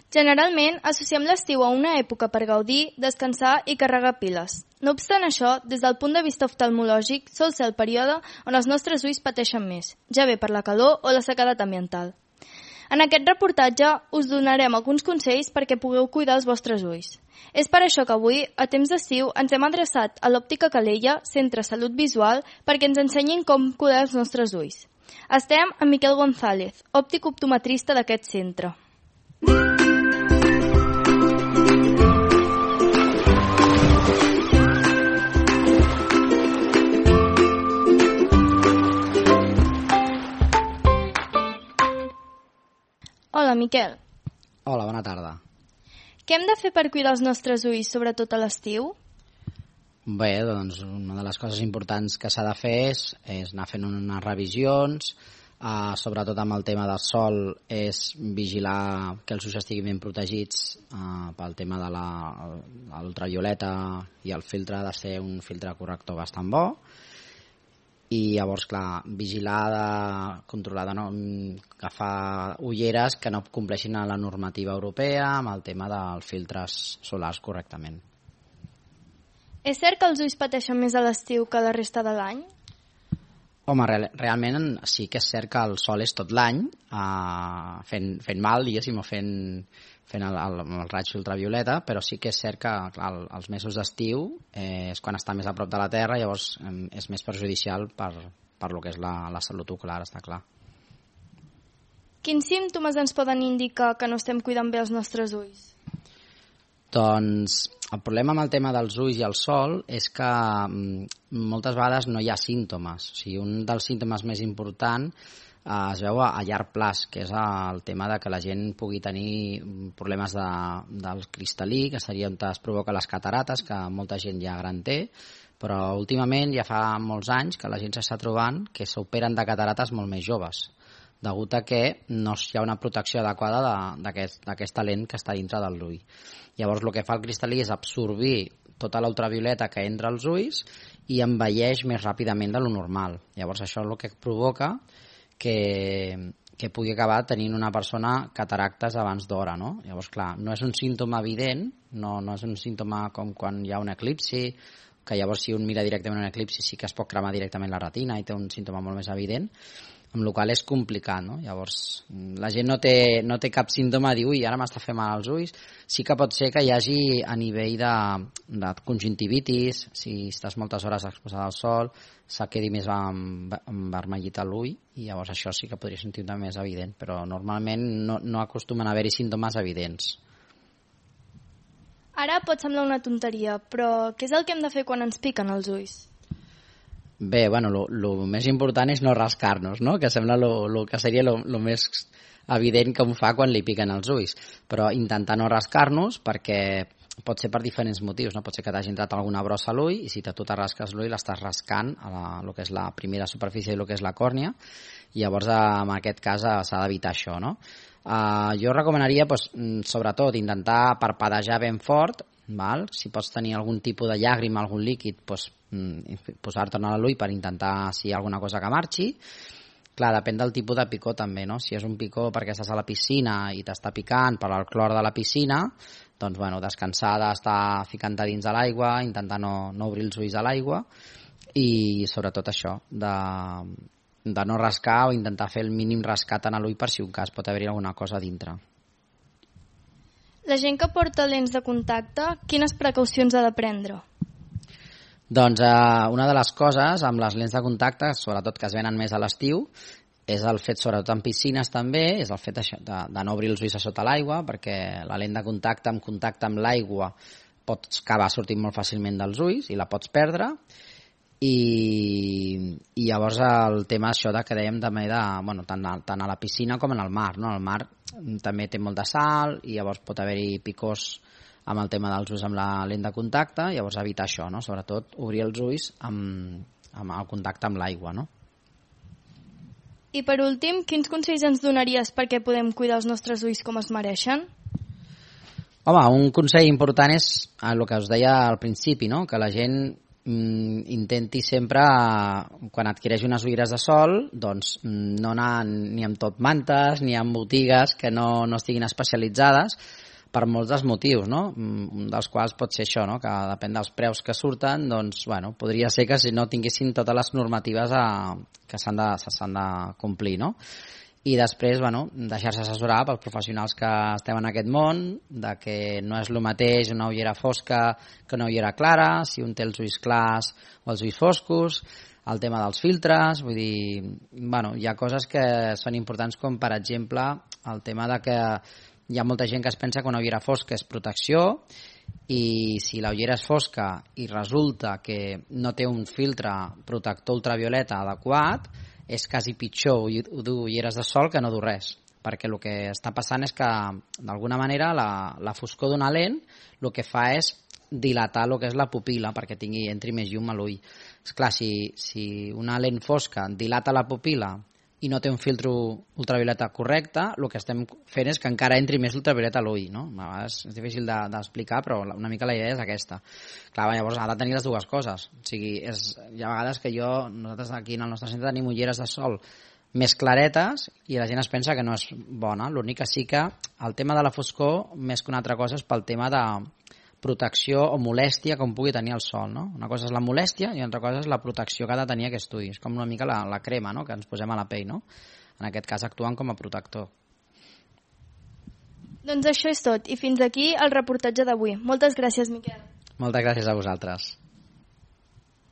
Generalment associem l'estiu a una època per gaudir, descansar i carregar piles. No obstant això, des del punt de vista oftalmològic, sol ser el període on els nostres ulls pateixen més, ja bé per la calor o la sequedat ambiental. En aquest reportatge us donarem alguns consells perquè pugueu cuidar els vostres ulls. És per això que avui, a temps d'estiu, ens hem adreçat a l'Òptica Calella, Centre Salut Visual, perquè ens ensenyin com cuidar els nostres ulls. Estem amb Miquel González, òptic optometrista d'aquest centre. Hola, Miquel. Hola, bona tarda. Què hem de fer per cuidar els nostres ulls, sobretot a l'estiu? Bé, doncs una de les coses importants que s'ha de fer és anar fent unes revisions, sobretot amb el tema del sol, és vigilar que els ulls estiguin ben protegits pel tema de l'ultravioleta, i el filtre ha de ser un filtre corrector bastant bo. I llavors, clar, vigilar, controlar de no agafar ulleres que no compleixin a la normativa europea amb el tema dels filtres solars correctament. És cert que els ulls pateixen més a l'estiu que la resta de l'any? Home, realment sí que és cert que el sol és tot l'any fent mal, diguéssim, o fent el raig ultravioleta, però sí que és cert que clar, els mesos d'estiu és quan està més a prop de la Terra, llavors és més perjudicial per lo que és la salut ocular, està clar. Quins símptomes ens poden indicar que no estem cuidant bé els nostres ulls? Doncs el problema amb el tema dels ulls i el sol és que moltes vegades no hi ha símptomes. O sigui, un dels símptomes més importants es veu a llarg plaç, que és el tema de que la gent pugui tenir problemes del cristal·lí, que seria on es provoca les catarates, que molta gent ja gran té, però últimament ja fa molts anys que la gent s'està trobant que s'operen de catarates molt més joves, degut a que no hi ha una protecció adequada d'aquesta lent que està dintre de l'ull. Llavors el que fa el cristal·lí és absorbir tota la ultravioleta que entra als ulls i envelleix més ràpidament de lo normal. Llavors això és el que provoca que pugui acabar tenint una persona cataractes abans d'hora, no? Llavors, clar, no és un símptoma evident, no és un símptoma com quan hi ha un eclipsi, que llavors si un mira directament un eclipsi sí que es pot cremar directament la retina i té un símptoma molt més evident, amb la qual cosa és complicat, no? Llavors, la gent no té cap símptoma de dir, ui, ara m'està fent mal als ulls. Sí que pot ser que hi hagi a nivell de conjuntivitis, si estàs moltes hores exposada al sol, se quedi més envermellit a l'ull, i llavors això sí que podria ser un símptoma més evident, però normalment no acostumen a haver-hi símptomes evidents. Ara pot semblar una tonteria, però què és el que hem de fer quan ens piquen els ulls? Bé, bueno, el més important és no rascar-nos, no? Que sembla el que seria el més evident que un fa quan li piquen els ulls, però intentar no rascar-nos perquè pot ser per diferents motius, no? Pot ser que t'hagi entrat alguna brossa a l'ull i si tu te rasques l'ull l'estàs rascant a el que és la primera superfície i el que és la còrnia, i llavors en aquest cas s'ha d'evitar això, no? Jo recomanaria sobretot intentar parpadejar ben fort, val? Si pots tenir algun tipus de llàgrima, algun líquid, posar-te'n a l'ull per intentar si hi ha alguna cosa que marxi. Clar, depèn del tipus de picor també, no? Si és un picor perquè estàs a la piscina i t'està picant per el clor de la piscina, doncs bueno, descansar d'estar ficant-te dins de l'aigua, intentar no obrir els ulls a l'aigua, i sobretot això, de no rascar o intentar fer el mínim rascat en l'ull per si un cas pot haver-hi alguna cosa a dintre. La gent que porta lents de contacte, quines precaucions ha de prendre? Doncs una de les coses amb les lents de contacte, sobretot que es venen més a l'estiu, és el fet, sobretot en piscines també, és el fet de no obrir els ulls a sota l'aigua, perquè la lent de contacte amb l'aigua pot acabar sortint molt fàcilment dels ulls i la pots perdre. I llavors el tema això que dèiem també tant a la piscina com en el mar, no? El mar també té molt de sal i llavors pot haver-hi picors amb el tema dels ulls amb la lent de contacte, llavors evitar això, no? Sobretot obrir els ulls amb el contacte amb l'aigua, no? I per últim, quins consells ens donaries perquè podem cuidar els nostres ulls com es mereixen? Home, un consell important és el que us deia al principi, no? Que la gent intenti sempre, quan adquireix unes ulleres de sol, doncs no anar ni amb tot mantes ni amb botigues que no estiguin especialitzades, per molts dels motius, no? Un dels quals pot ser això, no? Que depèn dels preus que surten, doncs, bueno, podria ser que si no tinguessin totes les normatives que s'han de complir, no? I després, bueno, deixar-se assessorar pels professionals que estem en aquest món, de que no és el mateix una ullera fosca que una ullera clara, si un té els ulls clars o els ulls foscos, el tema dels filtres, vull dir, bueno, hi ha coses que són importants, com per exemple el tema de que hi ha molta gent que es pensa que una ullera fosca és protecció, i si la ullera és fosca i resulta que no té un filtre protector ultravioleta adequat, és quasi pitjor dur ulleres de sol que no dur res, perquè el que està passant és que d'alguna manera la foscor d'una lent el que fa és dilatar el que és la pupil·la perquè entri més llum a l'ull. Esclar, si una lent fosca dilata la pupil·la i no té un filtre ultravioleta correcte, el que estem fent és que encara entri més ultravioleta a l'ull, no? A vegades és difícil d'explicar, però una mica la idea és aquesta. Clar, llavors ha de tenir les dues coses. O sigui, hi ha vegades que nosaltres aquí en el nostre centre tenim ulleres de sol més claretes i la gent es pensa que no és bona. L'únic que sí que el tema de la foscor, més que una altra cosa, és pel tema de protecció o molèstia com pugui tenir el sol, no? Una cosa és la molèstia i una altra cosa és la protecció que ha de tenir aquest ull. És com una mica la crema, no?, que ens posem a la pell, no? En aquest cas actuant com a protector. Doncs això és tot, i fins aquí el reportatge d'avui. Moltes gràcies, Miquel. Moltes gràcies a vosaltres.